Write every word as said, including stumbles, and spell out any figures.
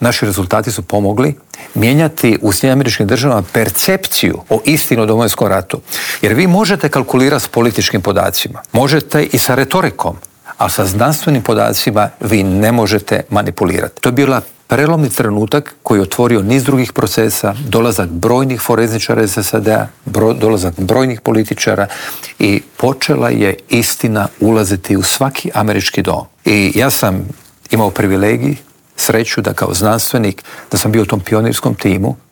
Naši rezultati su pomogli mijenjati u Sjedinjenim Američkim Državama percepciju o istini o Domovinskom ratu. Jer vi možete kalkulirati s političkim podacima, možete i sa retorikom, a sa znanstvenim podacima vi ne možete manipulirati. To je bila prelomni trenutak koji je otvorio niz drugih procesa, dolazak brojnih forenzičara iz S A D-a, bro, dolazak brojnih političara i počela je istina ulaziti u svaki američki dom. I ja sam imao privilegij, sreću da kao znanstvenik, da sam bio u tom pionirskom timu